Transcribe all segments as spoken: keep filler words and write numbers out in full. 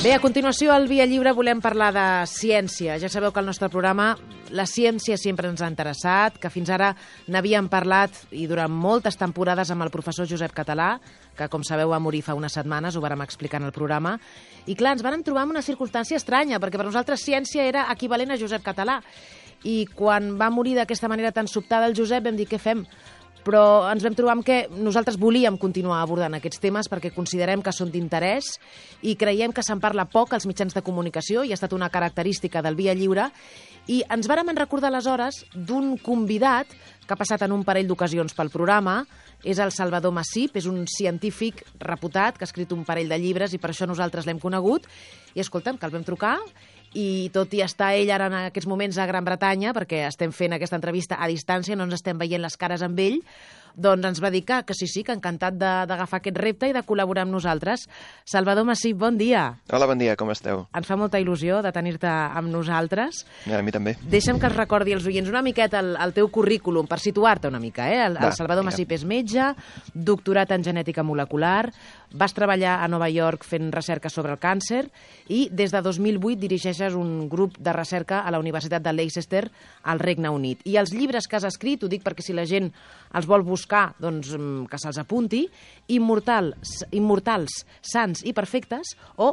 Bé, a continuació, al Via Lliure volem parlar de ciència. Ja sabeu que al nostre programa la ciència sempre ens ha interessat, que fins ara n'havíem parlat i durant moltes temporades amb el professor Josep Català, que, com sabeu, va morir fa unes setmanes, ho vàrem explicar en el programa. I, clar, ens vàrem trobar en una circumstància estranya, perquè per nosaltres ciència era equivalent a Josep Català. I quan va morir d'aquesta manera tan sobtada el Josep vam dir, què fem? Però ens vam trobar amb que nosaltres volíem continuar abordant aquests temes perquè considerem que són d'interès i creiem que se'n parla poc als mitjans de comunicació i ha estat una característica del Via Lliure. I ens vàrem recordar aleshores d'un convidat que ha passat en un parell d'ocasions pel programa. És el Salvador Massip, és un científic reputat que ha escrit un parell de llibres i per això nosaltres l'hem conegut. I escolta'm, que el vam trucar i tot i estar ell ara en aquests moments a Gran Bretanya, perquè estem fent aquesta entrevista a distància, no ens estem veient les cares amb ell, doncs ens va dir que, que sí, sí, que encantat d'agafar aquest repte i de col·laborar amb nosaltres. Salvador Massip, bon dia. Hola, bon dia, com esteu? Ens fa molta il·lusió de tenir-te amb nosaltres. Ja, a mi també. Deixa'm que els recordi als oients una miqueta el, el teu currículum, per situar-te una mica. Eh? El, el Salvador Massip és metge, doctorat en genètica molecular, vas treballar a Nova York fent recerca sobre el càncer i des de dos mil vuit dirigeixes un grup de recerca a la Universitat de Leicester al Regne Unit. I els llibres que has escrit, ho dic perquè si la gent els vol buscar, doncs que se'ls apunti, Immortals, Immortals, Sants i Perfectes, o,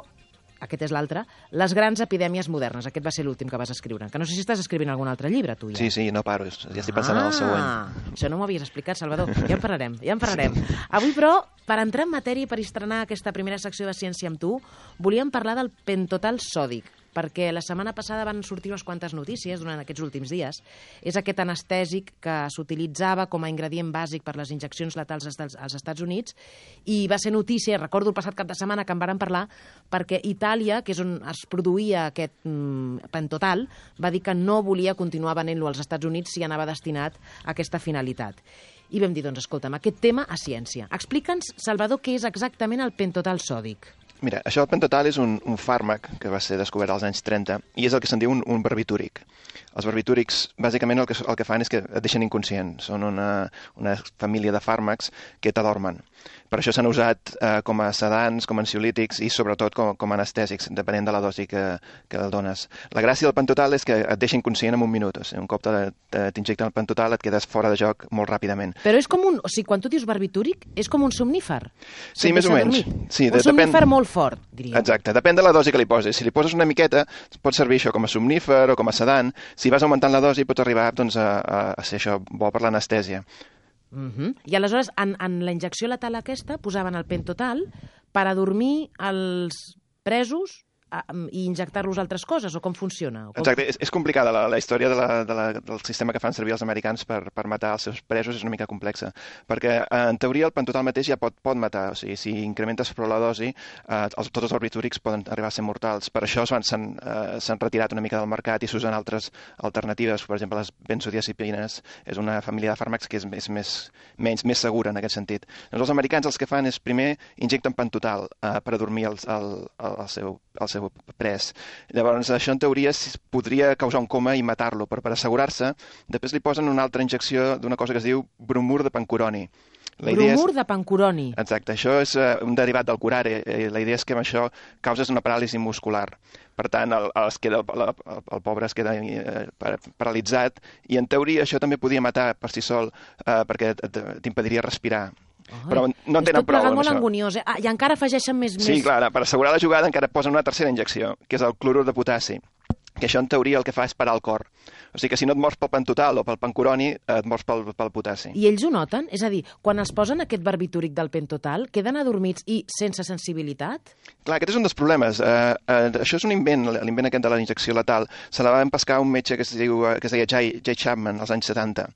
aquest és l'altre, Les grans epidèmies modernes. Aquest va ser l'últim que vas escriure. Que no sé si estàs escrivint algun altre llibre, tu ja. Sí, sí, no paro, ja estic pensant ah, en el següent. Això no m'ho havies explicat, Salvador. Ja en parlarem, ja en parlarem. Sí. Avui, però, per entrar en matèria i per estrenar aquesta primera secció de Ciència amb tu, volíem parlar del pentotal sòdic, perquè la setmana passada van sortir unes quantes notícies durant aquests últims dies. És aquest anestèsic que s'utilitzava com a ingredient bàsic per les injeccions letals als Estats Units i va ser notícia, recordo el passat cap de setmana que en vàrem parlar, perquè Itàlia, que és on es produïa aquest mm, pentotal, va dir que no volia continuar venent-lo als Estats Units si anava destinat a aquesta finalitat. I vam dir, doncs, escolta'm, aquest tema a ciència. Explica'ns, Salvador, què és exactament el pentotal sòdic. Mira, això del pentotal és un, un fàrmac que va ser descobert als anys trenta i és el que se'n diu un, un barbitúric. Els barbitúrics, bàsicament, el que, el que fan és que et deixen inconscient. Són una, una família de fàrmacs que t'adormen. Per això s'han usat eh, com a sedants, com a ansiolítics i sobretot com, com a anestèsics, depenent de la dosi que, que el dones. La gràcia del pentotal és que et deixa inconscient en un minut. O sigui, un cop t'injecten el pentotal et quedes fora de joc molt ràpidament. Però és com un... O sigui, quan tu dius barbitúric, és com un somnífer. Sí, més o menys. Sí, un somnífer depèn... molt fort, diríem. Exacte, depèn de la dosi que li poses. Si li poses una miqueta, pot servir això com a somnífer o com a sedant. Si vas augmentant la dosi, pots arribar doncs, a, a, a ser això bo per l'anestèsia. Uh-huh. I aleshores, en, en la injecció letal aquesta, posaven el pentotal per adormir els presos i injectar-los altres coses, o com funciona? O com... Exacte, és, és complicada la, la història de la, de la, del sistema que fan servir els americans per, per matar els seus presos, és una mica complexa, perquè en teoria el pentotal mateix ja pot, pot matar, o sigui, si incrementes prou la dosi, eh, els, tots els barbitúrics poden arribar a ser mortals. Per això s'han eh, retirat una mica del mercat i s'usen altres alternatives, per exemple, les benzodiazepines, és una família de fàrmacs que és, és més, menys, més segura en aquest sentit. Doncs els americans els que fan és primer injecten pentotal eh, per adormir el, el, el, el seu, el seu pres. Llavors, això en teoria podria causar un coma i matar-lo, però per assegurar-se, després li posen una altra injecció d'una cosa que es diu bromur de pancuroni. La bromur és... de pancuroni. Exacte, això és uh, un derivat del curare. La idea és que amb això causes una paràlisi muscular. Per tant, el, el, es queda, el, el, el pobre es queda eh, paralitzat i en teoria això també podia matar per si sol eh, perquè t'impediria respirar. Ai, però no en tenen prou amb molt això. Anguniós, eh? Ah, i encara afegeixen més... Sí, més... clar, per assegurar la jugada encara posen una tercera injecció, que és el clorur de potassi, que això en teoria el que fa és parar el cor. O sigui que si no et mors pel pentotal o pel pancuroni, et mors pel, pel potassi. I ells ho noten? És a dir, quan els posen aquest barbitúric del pentotal, queden adormits i sense sensibilitat? Clar, aquest és un dels problemes. Uh, uh, això és un invent, l'invent aquest de la injecció letal. Se la va empescar un metge que es, diu, que es deia Jay, Jay Chapman als anys setanta.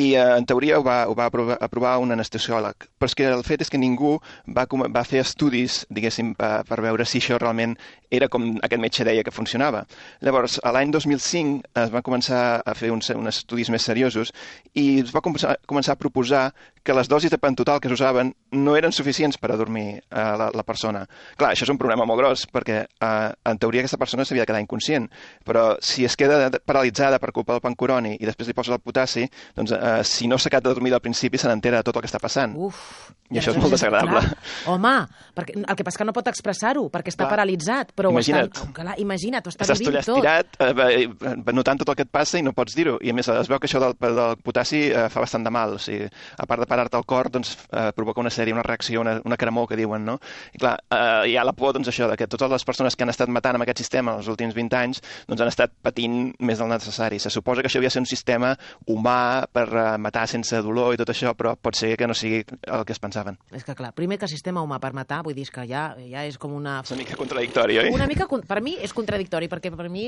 I uh, en teoria ho va, ho va aprovar, aprovar un anestesiòleg. Però és que el fet és que ningú va, va fer estudis, diguéssim, uh, per veure si això realment era com aquest metge deia que funcionava. Llavors, Llavors, a l'any dos mil cinc es van començar a fer uns, uns estudis més seriosos i es va començar, començar a proposar que les dosis de pentotal que s'usaven no eren suficients per a dormir eh, la, la persona. Clar, això és un problema molt gros, perquè eh, en teoria aquesta persona s'havia de quedar inconscient, però si es queda paralitzada per culpa del pancuroni i després li poses el potassi, doncs eh, si no s'ha quedat de dormir al principi se n'entera de tot el que està passant. Uf, I, I això és molt desagradable. Clar. Home, perquè, el que passa que no pot expressar-ho, perquè està clar. paralitzat, però imagina't. Ho està, clar, imagina't, ho està Estàs vivint tot. Estàs tot estirat, eh, notant tot el que et passa i no pots dir-ho. I a més es veu que això del, del potassi eh, fa bastant de mal. O sigui, a part de parar-te el cor, doncs eh, provoca una sèrie, una reacció, una, una cremor que diuen, no? I clar, eh, hi ha la por, doncs això, de que totes les persones que han estat matant amb aquest sistema els últims vint anys, doncs han estat patint més del necessari. Se suposa que això havia de ser un sistema humà per uh, matar sense dolor i tot això, però pot ser que no sigui el que es pensaven. És que clar, primer que sistema humà per matar, vull dir que ja, ja és com una... És una mica contradictori, oi? Una mica, per mi és contradictori, perquè per mi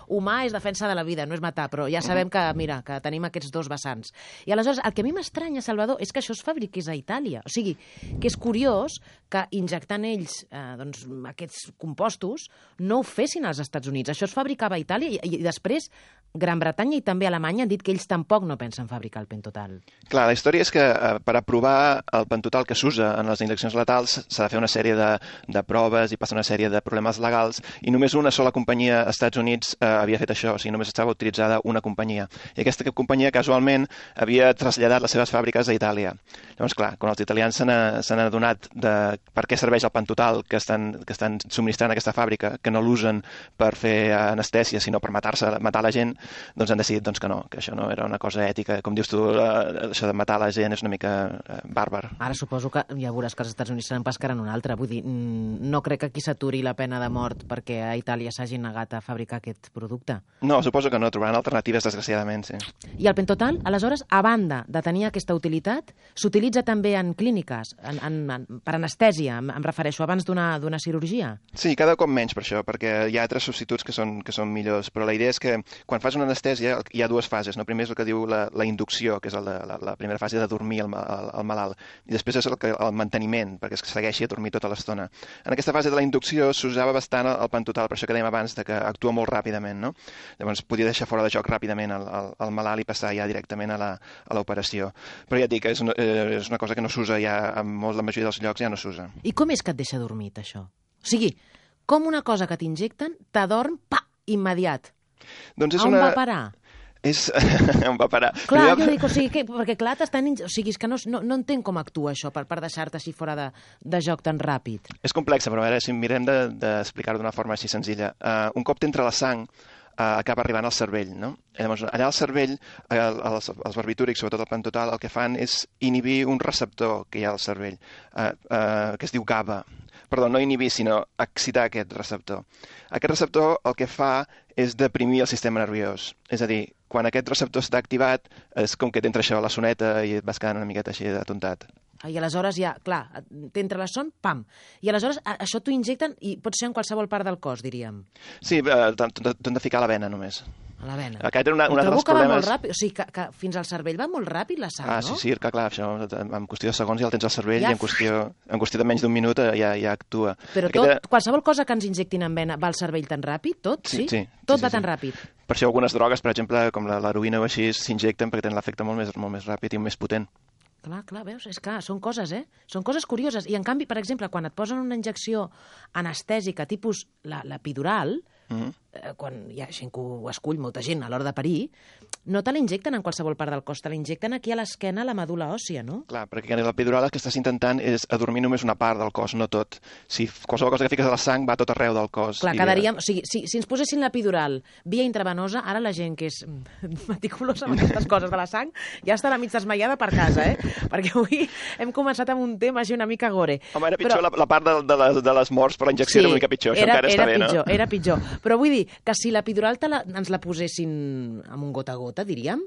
humà és defensa de la vida, no és matar, però ja sabem que, mira, que tenim aquests dos vessants. I aleshores, el que a mi m'estranya, Salvador, és que això es fabriqués a Itàlia. O sigui, que és curiós que injectant ells eh, doncs, aquests compostos no ho fessin als Estats Units. Això es fabricava a Itàlia i, i després Gran Bretanya i també Alemanya han dit que ells tampoc no pensen fabricar el pentotal. Clar, la història és que eh, per aprovar el pentotal que s'usa en les injeccions letals s'ha de fer una sèrie de, de proves i passa una sèrie de problemes legals i només una sola companyia als Estats Units eh, havia fet això, o sigui, només estava utilitzada una companyia. I aquesta companyia casualment havia traslladat les seves fàbriques a Itàlia. Llavors, clar, quan els italians s'han adonat de per què serveix el pentotal que estan, que estan subministrant aquesta fàbrica, que no l'usen per fer anestèsia, sinó per matar-se, matar la gent, doncs han decidit doncs, que no, que això no era una cosa ètica. Com dius tu, eh, això de matar la gent és una mica eh, bàrbar. Ara suposo que ja veuràs que els Estats Units seran pescaran una altra. Vull dir, no crec que aquí s'aturi la pena de mort perquè a Itàlia s'hagi negat a fabricar aquest producte. No, suposo que no, trobaran alternatives, desgraciadament, sí. I el pentotal, aleshores, a banda de tenir aquesta utilitat, s'utilitza també en clíniques, en, en, en, per anestèsia, em, em refereixo, abans d'una cirurgia? Sí, cada cop menys per això, perquè hi ha altres substituts que són, que són millors, però la idea és que quan fas una anestèsia hi ha dues fases, no? Primer és el que diu la, la inducció, que és el de, la, la primera fase de dormir el, el, el malalt, i després és el, que, el manteniment, perquè es segueixi a dormir tota l'estona. En aquesta fase de la inducció s'usava bastant el, el pentotal, per això que dèiem abans, de que actua molt ràpidament, no? Llavors podia deixar fora de joc ràpidament el, el, el malalt i passar ja directament a l'operació. Però ja et dic, és una, és una cosa que no s'usa ja, en molt, la majoria dels llocs ja no s'usa. I com és que et deixa dormit, això? O sigui, com una cosa que t'injecten t'adorm, pa, immediat. Doncs és on una... va parar? És... on va parar? Clar, jo dic, o sigui, que, perquè clar, t'estan... O sigui, és que no, no, no entenc com actua això per, per deixar-te així fora de, de joc tan ràpid. És complexa, però a veure, si mirem d'explicar-ho d'una forma així senzilla. Uh, un cop t'entra la sang, uh, acaba arribant al cervell, no? Llavors, allà al cervell, uh, els, els barbitúrics, sobretot el pentotal, el que fan és inhibir un receptor que hi ha al cervell, uh, uh, que es diu GABA. Perdó, no inhibir, sinó excitar aquest receptor. Aquest receptor el que fa és deprimir el sistema nerviós. És a dir, quan aquest receptor està activat, és com que t'entra això a la soneta i et vas quedant una miqueta així atontat. I aleshores ja, clar, t'entra la son, pam. I aleshores això t'ho injecten i pot ser en qualsevol part del cos, diríem. Sí, eh, t'han de ficar a la vena només. A la vena. Aquest era una, un altre dels que problemes... va molt ràpid, o sigui, que, que fins al cervell va molt ràpid la sang, ah, no? Sí, sí, que clar, això, en qüestió de segons ja el tens al cervell ja... i en qüestió, en qüestió de menys d'un minut ja, ja actua. Però tot, Aquesta... qualsevol cosa que ens injectin en vena va al cervell tan ràpid? Tot, sí? Sí, sí. Tot sí, va sí, tan sí. ràpid? Per això algunes drogues, per exemple, com l'heroïna o així, s'injecten perquè tenen l'efecte molt més, molt més ràpid i més potent. Clar, clar, veus? És que són coses, eh? Són coses curioses. I, en canvi, per exemple, quan et posen una injecció anestèsica tipus l'epidural, mm-hmm. eh, quan hi ha gent que ho escull, molta gent, a l'hora de parir, no te l'injecten en qualsevol part del cos, te l'injecten aquí a l'esquena, a la medul·la òssia, no? Clar, perquè en l'epidural el que estàs intentant és adormir només una part del cos, no tot. Si qualsevol cosa que fiques a la sang va a tot arreu del cos. Clar, i... quedaríem... O sigui, si, si ens posessin l'epidural via intravenosa, ara la gent que és meticulosa amb aquestes coses de la sang ja estarà mig desmaiada per casa, eh? Perquè avui hem començat amb un tema així una mica gore. Home, era pitjor Però... la, la part de, de, les, de les morts per la injecció, sí, era una mica pitjor. Això era, encara era està pitjor, bé, no? Era pitjor. Però vull dir que si l'epidural la, ens la posessin amb un gota a gota, diríem,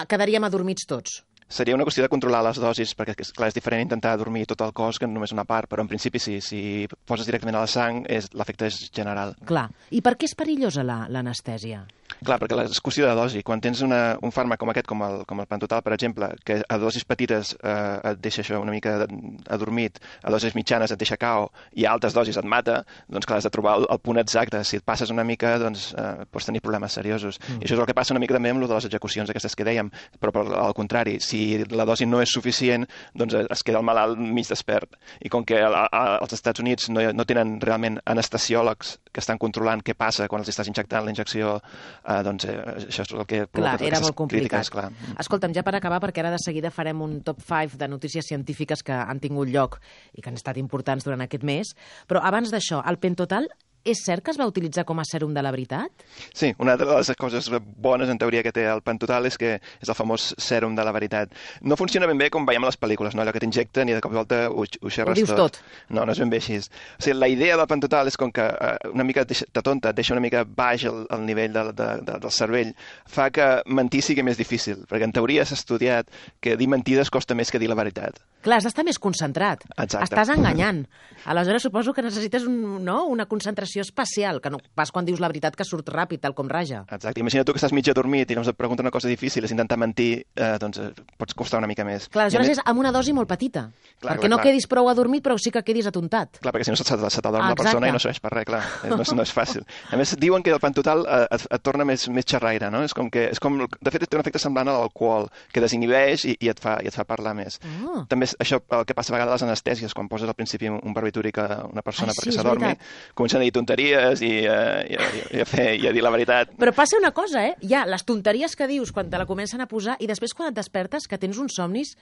quedaríem adormits tots. Seria una qüestió de controlar les dosis, perquè, clar, és diferent intentar dormir tot el cos que només una part, però en principi sí, si poses directament a la sang, l'efecte és general. Clar. I per què és perillosa l'anestèsia? Clar, perquè és qüestió de dosi. Quan tens una, un fàrmac com aquest, com el, com el Pantotal, per exemple, que a dosis petites eh, et deixa això una mica adormit, a dosis mitjanes et deixa cao i a altes dosis et mata, doncs clar, has de trobar el, el punt exacte. Si et passes una mica, doncs eh, pots tenir problemes seriosos. Mm. I això és el que passa una mica també amb lo de les execucions aquestes que dèiem, però per, al contrari, si la dosi no és suficient, doncs es queda el malalt mig despert. I com que a, a, als Estats Units no, no tenen realment anestesiòlegs que estan controlant què passa quan els estàs injectant la injecció, eh, doncs eh, això és el que clar, era molt complicat. Crítiques, clar. Escolta'm, ja per acabar, perquè ara de seguida farem un top cinc de notícies científiques que han tingut lloc i que han estat importants durant aquest mes, però abans d'això, el Pentotal és cert que es va utilitzar com a sèrum de la veritat? Sí, una de les coses bones en teoria que té el Pentotal és que és el famós sèrum de la veritat. No funciona ben bé com veiem a les pel·lícules, no? Allò que t'injecten i de cop i volta ho, ho xerres ho dius tot. tot. No, no és ben bé així. O sigui, la idea del Pentotal és com que uh, una mica de tonta et deixa una mica baix el, el nivell de, de, de, del cervell, fa que mentir sigui més difícil, perquè en teoria s'ha estudiat que dir mentides costa més que dir la veritat. Clar, has d'estar més concentrat. Exacte. Estàs enganyant. Aleshores suposo que necessites un, no? una concentració especial, que no pas quan dius la veritat que surt ràpid, tal com raja. Exacte. Imagina tu que estàs mig adormit i llavors et pregunta una cosa difícil, és intentar mentir, eh, doncs eh, pots costar una mica més. Clar, aleshores més... és amb una dosi molt petita, clar, perquè clar, no clar. quedis prou adormit, però sí que quedis atontat. Clar, perquè si no se t'adorm ah, la persona i no serveix per res, clar. No és, no és fàcil. A més, diuen que el Pentotal eh, et, et torna més, més xerraire, no? És com que, és com, de fet, té un efecte semblant a l'alcohol, que desinhibeix i, i, et fa, i et fa parlar més. Oh. També això el que passa a vegades a les anestèsies, quan poses al principi un barbitúric a una persona ah, sí, perquè s'adormi, comencen a dir tonteries i, eh, i, i, i, a fer, i a dir la veritat. Però passa una cosa, eh? Hi ha les tonteries que dius quan te la comencen a posar i després quan et despertes, que tens uns somnis,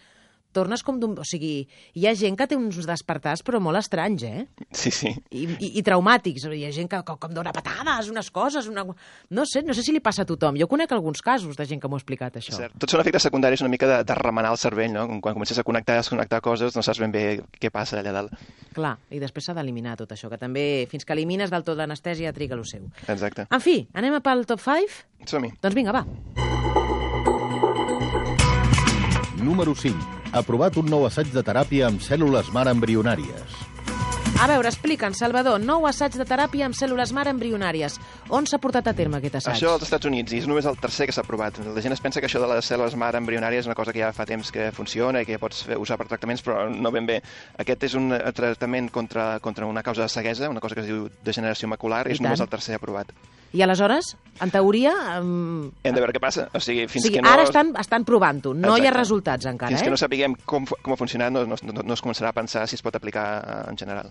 tornes com d'un... O sigui, hi ha gent que té uns despertars però molt estranys, eh? Sí, sí. I, i, i traumàtics. Hi ha gent que com, com dona patades, unes coses... Una... No sé, no sé si li passa a tothom. Jo conec alguns casos de gent que m'ho ha explicat, això. Cert. Tots són efectes secundaris una mica de, de remenar el cervell, no? Quan comences a connectar i desconnectar coses no saps ben bé què passa allà dalt. Clar, i després s'ha d'eliminar tot això, que també fins que elimines del tot l'anestèsia triga lo seu. Exacte. En fi, anem a pel top cinc? Som-hi. Doncs vinga, va. Número cinc. Aprovat un nou assaig de teràpia amb cèl·lules mare embrionàries. A veure, explica'ns, Salvador, nou assaig de teràpia amb cèl·lules mare embrionàries. On s'ha portat a terme aquest assaig? Això als Estats Units, i és només el tercer que s'ha aprovat. La gent es pensa que això de les cèl·lules mare embrionàries és una cosa que ja fa temps que funciona i que ja pots fer, usar per tractaments, però no ben bé. Aquest és un tractament contra, contra una causa de ceguesa, una cosa que es diu degeneració macular, i és només el tercer aprovat. I aleshores, en teoria... Um... Hem de veure què passa. O sigui, fins o sigui, que no... ara estan, estan provant-ho, no Exacte. Hi ha resultats encara. Fins eh? que no sapiguem com, com ha funcionat, no, no, no es començarà a pensar si es pot aplicar en general.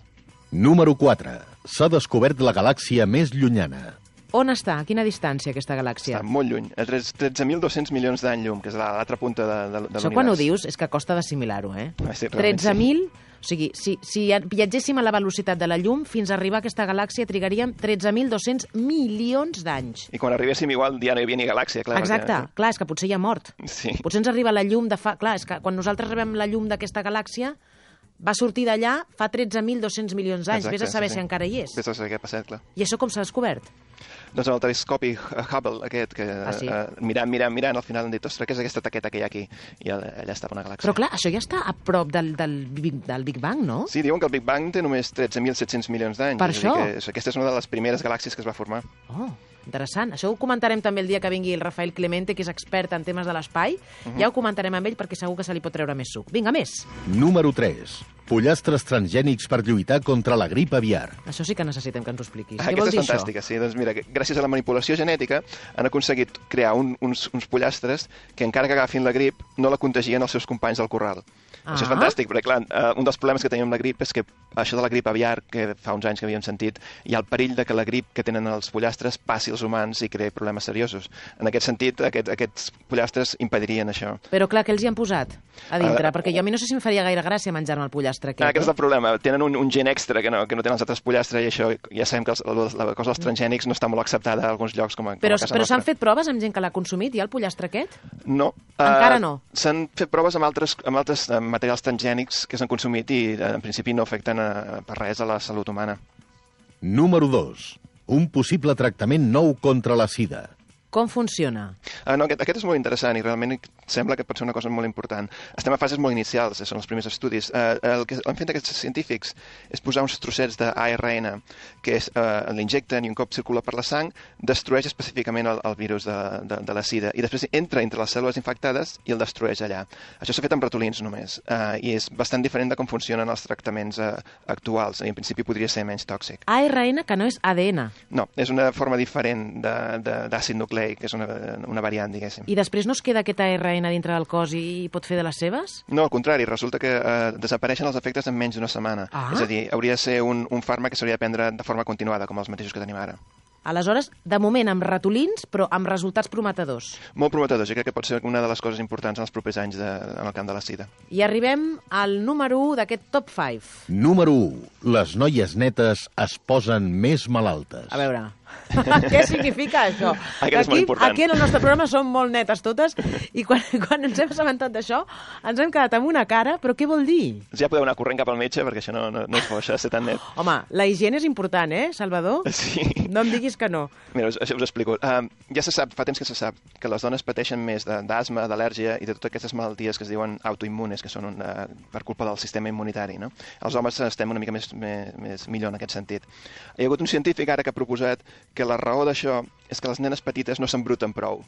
Número quatre. S'ha descobert la galàxia més llunyana. On està? A quina distància, aquesta galàxia? Està molt lluny, a tretze mil dos-cents milions d'any llum, que és l'altra punta de, de, de l'univers. Això quan ho dius és que costa d'assimilar-ho, eh? Ah, sí, tretze mil... Sí. O sigui, si, si viatgéssim a la velocitat de la llum, fins a arribar a aquesta galàxia trigaríem tretze mil dos-cents milions d'anys. I quan arribéssim igual ja no hi havia ni galàxia, clar. Exacte, perquè... clar, és que potser ja ha mort. Sí. Potser ens arriba la llum de fa... Clar, és que quan nosaltres rebem la llum d'aquesta galàxia, va sortir d'allà fa tretze mil dos-cents milions d'anys. Vés a saber sí, si sí. encara hi és. Vés a saber què ha passat, clar. I això com s'ha descobert? Doncs amb el telescopi Hubble aquest, que ah, sí? uh, mirant, mirant, mirant, al final han dit, ostres, què és aquesta taqueta que hi ha aquí? I allà estava una galàxia. Però clar, això ja està a prop del, del, del Big Bang, no? Sí, diuen que el Big Bang té només tretze mil set-cents milions d'anys. Per això? Que aquesta és una de les primeres galàxies que es va formar. Oh, interessant. Això ho comentarem també el dia que vingui el Rafael Clemente, que és expert en temes de l'espai. Uh-huh. Ja ho comentarem amb ell perquè segur que se li pot treure més suc. Vinga, més. Número tres. Pollastres transgènics per lluitar contra la grip aviar. Això sí que necessitem que ens ho expliquis. Ah, Què vol dir és fantàstica, això? Sí. Doncs mira, gràcies a la manipulació genètica han aconseguit crear un, uns, uns pollastres que encara que agafin la grip no la contagien els seus companys del corral. Ah. Això és fantàstic, perquè clar, uh, un dels problemes que tenim amb la grip és que això de la grip aviar, que fa uns anys que havíem sentit, hi ha el perill de que la grip que tenen els pollastres passi als humans i creï problemes seriosos. En aquest sentit, aquest, aquests pollastres impedirien això. Però clar, què els hi han posat a dintre? Uh, perquè jo a mi no sé si em faria gaire gràcia menjar-me el pollastre aquest. Ah, aquest és el problema. Tenen un, un gen extra que no, que no tenen els altres pollastres i això ja sabem que els, la cosa dels transgènics no està molt acceptada a alguns llocs com a, com però, a casa Però nostra. s'han fet proves amb gent que l'ha consumit, ja, el pollastre aquest? No. Encara no? Uh, s'han fet proves amb altres, amb altres uh, materials transgènics que s'han consumit i uh, en principi no afecten uh, per res a la salut humana. Número dos. Un possible tractament nou contra la sida. Com funciona? Uh, no, aquest, aquest és molt interessant i realment sembla que pot ser una cosa molt important. Estem a fases molt inicials, són els primers estudis. Uh, el que han fet aquests científics és posar uns trossets d'A R N que és, uh, l'injecten i un cop circula per la sang destrueix específicament el, el virus de, de, de la sida i després entra entre les cèl·lules infectades i el destrueix allà. Això s'ha fet amb ratolins només uh, i és bastant diferent de com funcionen els tractaments uh, actuals i en principi podria ser menys tòxic. A R N, que no és A D N. No, és una forma diferent d'àcid nucleic, que és una, una variant, diguéssim. I després no es queda aquest A R N dintre del cos i pot fer de les seves? No, al contrari, resulta que eh, desapareixen els efectes en menys d'una setmana. Ah. És a dir, hauria de ser un, un fàrmac que s'hauria de prendre de forma continuada, com els mateixos que tenim ara. Aleshores, de moment amb ratolins, però amb resultats prometedors. Molt prometedors, i crec que pot ser una de les coses importants en els propers anys de, en el camp de la sida. I arribem al número u d'aquest top cinc. Número u. Les noies netes es posen més malaltes. A veure, què significa això? Aquest és molt Aquí, important. aquí en el nostre programa som molt netes totes i quan, quan ens hem assabentat d'això ens hem quedat amb una cara, però què vol dir? Ja podeu anar corrent cap al metge perquè això no, no, no és bo, això de ser tan net. Home, la higiene és important, eh, Salvador? Sí. No em diguis que no. Mira, us, això us explico. Uh, ja se sap, fa temps que se sap, que les dones pateixen més d'asma, d'al·lèrgia i de totes aquestes malalties que es diuen autoimmunes, que són una, per culpa del sistema immunitari, no? Els homes estem una mica més, més, més millor en aquest sentit. Hi ha hagut un científic ara que ha proposat que la raó d'això és que les nenes petites no s'embruten prou.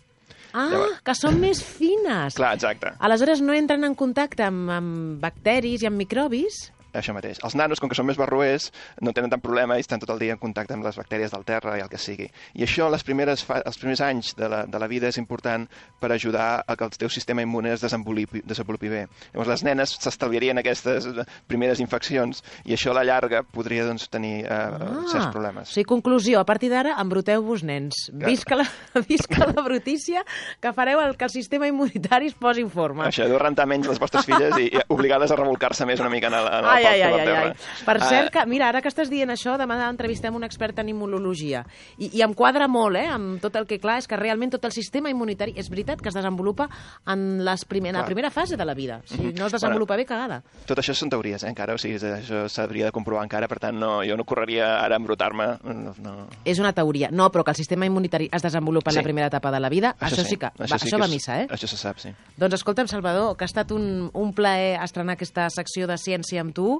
Ah, Llavors... que són més fines. Clar, exacte. Aleshores no entren en contacte amb, amb bacteris i amb microbis? Això mateix. Els nanos, com que són més barroers, no tenen tant problema i estan tot el dia en contacte amb les bactèries del terra i el que sigui. I això, les primeres fa... els primers anys de la, de la vida, és important per ajudar a que el teu sistema immune es desenvolupi, desenvolupi bé. Llavors, les nenes s'estalviarien aquestes primeres infeccions i això a la llarga podria doncs, tenir eh, ah, certs problemes. O sigui, conclusió, a partir d'ara, embruteu-vos, nens. Clar. Visca la, visca la brutícia que fareu el, que el sistema immunitari es posi en forma. Això, deu rentar menys les vostres filles i, i obligar-les a revolcar-se més una mica en el, en el Ai, ai, pal ai, ai, ai. Per Ah, cert, que, mira, ara que estàs dient això, demà entrevistem un expert en immunologia. I, I em quadra molt, eh, amb tot el que, clar, és que realment tot el sistema immunitari, és veritat que es desenvolupa en les primer, la primera fase de la vida. Si Mhm. no es desenvolupa Bueno, bé, cagada. Tot això són teories, eh, encara, o sigui, això s'hauria de comprovar encara, per tant, no, jo no correria ara a embrutar-me. No, no. És una teoria. No, però que el sistema immunitari es desenvolupa en Sí. la primera etapa de la vida, això, això sí que Això, va, sí això que va a és- missa, eh? Això se sap, sí. Doncs escolta'm, Salvador, que ha estat un, un plaer estrenar aquesta secció de ciència amb tu.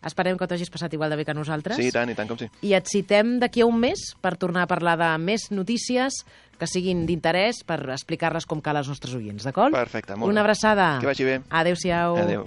Esperem que t'ho hagis passat igual de bé que nosaltres. Sí, i tant, i tant com sí. I et citem d'aquí a un mes per tornar a parlar de més notícies que siguin d'interès per explicar-les com cal als nostres oients, d'acord? Perfecte, molt Una bé. abraçada. Que vagi bé. Adéu-siau. Adéu.